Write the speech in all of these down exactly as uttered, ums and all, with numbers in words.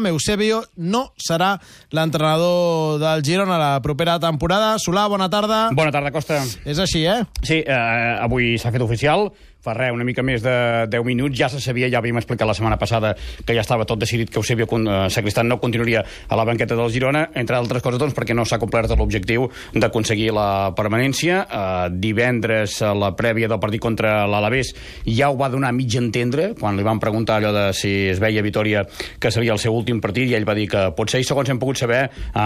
Eusebio no serà l'entrenador del Girona la propera temporada. Solà, bona tarda. Bona tarda, Costa. És així, eh? Sí, eh, avui s'ha fet oficial. Fa res, una mica més de deu minuts. Ja se sabia, ja havíem explicat la setmana passada que ja estava tot decidit que Eusebio Sacristán no continuaria a la banqueta del Girona, entre altres coses, doncs, perquè no s'ha complert l'objectiu d'aconseguir la permanència. Eh, divendres, a la prèvia del partit contra l'Alavés, ja ho va donar a mig entendre, quan li van preguntar allò de si es veia Vitòria que seria el seu últim partit, i ell va dir que pot ser, i segons hem pogut saber, eh,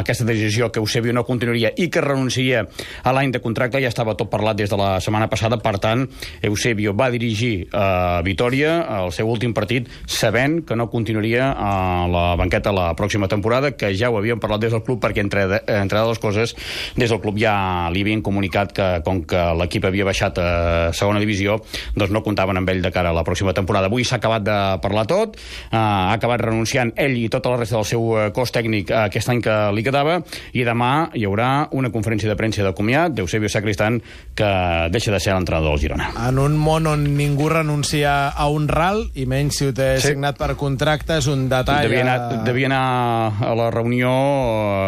aquesta decisió que Eusebio no continuaria i que renunciaria a l'any de contracte ja estava tot parlat des de la setmana passada. Per tant, Eusebio va dirigir a Vitòria el seu últim partit sabent que no continuaria a la banqueta la pròxima temporada, que ja ho havíem parlat des del club, perquè entre, entre altres coses des del club ja li havien comunicat que com que l'equip havia baixat a segona divisió, doncs no comptaven amb ell de cara a la pròxima temporada. Avui s'ha acabat de parlar tot, ha acabat renunciant ell i tota la resta del seu cos tècnic aquest any que li quedava, i demà hi haurà una conferència de premsa de comiat d'Eusebio Sacristán, que deixa de ser l'entrenador del Girona. En un món on ningú renuncia a un ral, i menys si ho té sí. signat per contracte, és un detall... Devia anar, devia anar a la reunió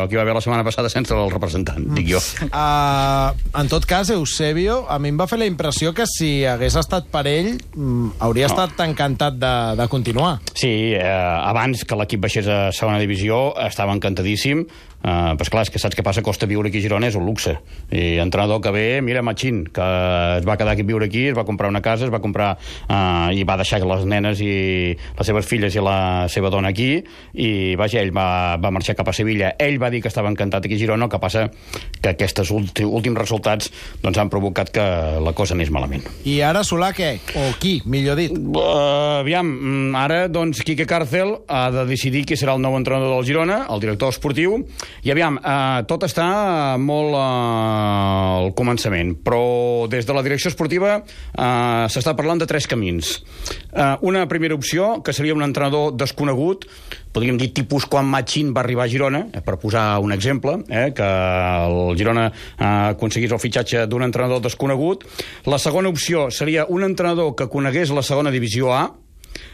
que hi va haver la setmana passada sense el representant, mm. dic jo. Uh, en tot cas, Eusebio, a mi em va fer la impressió que si hagués estat per ell, hauria no. estat encantat de, de continuar. Sí, eh, abans que l'equip baixés a segona divisió estava encantadíssim. Uh, però esclar, és que saps què passa? Costa viure aquí a Girona és un luxe, i entrenador que ve, mira Machín, que es va quedar aquí a viure aquí, es va comprar una casa, es va comprar uh, i va deixar les nenes i les seves filles i la seva dona aquí, i vaja, ell va, va marxar cap a Sevilla. Ell va dir que estava encantat aquí a Girona, el que passa que aquests últims resultats doncs, han provocat que la cosa anés malament. I ara Solà què? O qui, millor dit? Uh, aviam, ara doncs Quique Cárcel ha de decidir qui serà el nou entrenador del Girona, el director esportiu. I aviam, eh, tot està molt eh, al començament, però des de la direcció esportiva eh, s'està parlant de tres camins. Eh, una primera opció, que seria un entrenador desconegut, podríem dir tipus quan Machín va arribar a Girona, eh, per posar un exemple, eh, que el Girona eh, aconseguís el fitxatge d'un entrenador desconegut. La segona opció seria un entrenador que conegués la segona divisió A.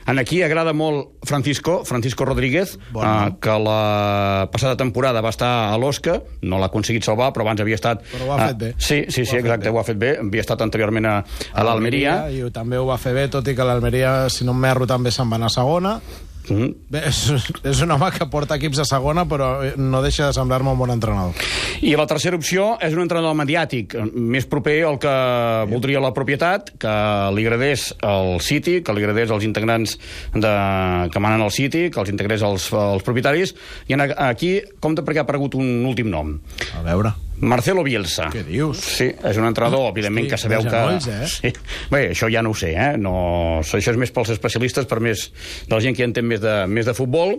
En aquí agrada molt Francisco, Francisco Rodríguez, bueno. eh, que la passada temporada va estar a l'Osca, no l'ha aconseguit salvar, però abans havia estat... Però ho ha fet bé. Eh, sí, sí, sí, exacte, ho ha fet bé. Havia estat anteriorment a, a l'Almeria. I també ho va fer bé, tot i que l'Almeria, si no m'erro, també se'n va anar a segona. Mm-hmm. Bé, és, és un home que porta equips a segona, però no deixa de semblar-me un bon entrenador. I la tercera opció és un entrenador mediàtic, més proper al que sí. voldria la propietat, que li agradés el City, que li agradés els integrants de, que manen al City, que els integrés els, els propietaris. I aquí compta perquè ha aparegut un últim nom. A veure... Marcelo Bielsa. Què dius? Sí, és un entrenador, evidentment, que sabeu que... Genolls, eh? Sí. Bé, això ja no ho sé, eh? No... Això és més pels especialistes, per més de la gent que entén més de, més de futbol.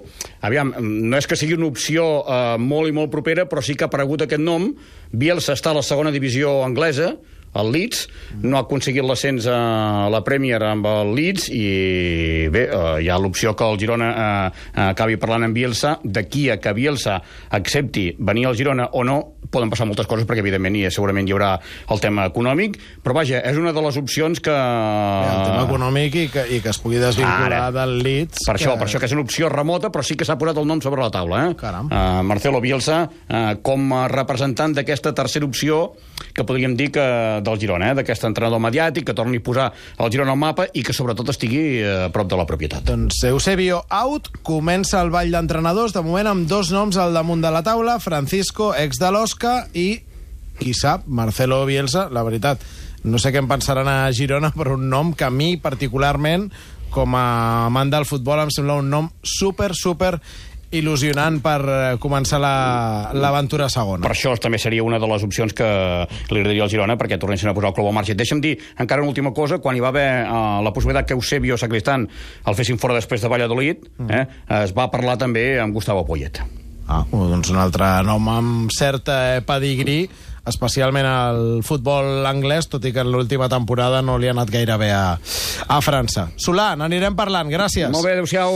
Aviam, no és que sigui una opció eh, molt i molt propera, però sí que ha aparegut aquest nom. Bielsa està a la segona divisió anglesa, el Leeds, no ha aconseguit l'ascens a la Premier amb el Leeds, i bé, eh, hi ha l'opció que el Girona eh, acabi parlant amb Bielsa. D'aquí a que Bielsa accepti venir al Girona o no, poden passar moltes coses, perquè evidentment i segurament hi haurà el tema econòmic, però vaja, és una de les opcions que... Bé, el tema econòmic i que, i que es pugui desvincular Ara, del Leeds. Per que... això, per això que és una opció remota, però sí que s'ha posat el nom sobre la taula. Eh? Caram. Uh, Marcelo Bielsa, uh, com a representant d'aquesta tercera opció, que podríem dir que del Girona, eh? D'aquest entrenador mediàtic, que torni a posar el Girona al mapa i que sobretot estigui a prop de la propietat. Doncs Eusebio out, comença el ball d'entrenadors, de moment amb dos noms al damunt de la taula, Francisco, ex de l'Osca, i, qui sap, Marcelo Bielsa. La veritat, no sé què en pensaran a Girona, però un nom que a mi particularment, com a amant del futbol, em sembla un nom super, super il·lusionant per començar l'aventura la, segona. Per això també seria una de les opcions que li agradaria al Girona, perquè tornessin a posar el club al marge. Deixa'm dir encara una última cosa. Quan hi va haver uh, la possibilitat que Eusebio Sacristán el fessin fora després de Valladolid, mm. eh, es va parlar també amb Gustavo Poyet. Ah, doncs un altre nom amb cert eh, pedigrí, especialment al futbol anglès, tot i que en l'última temporada no li ha anat gaire bé a, a França. Solà, n'anirem parlant. Gràcies. Molt bé, adéu-siau.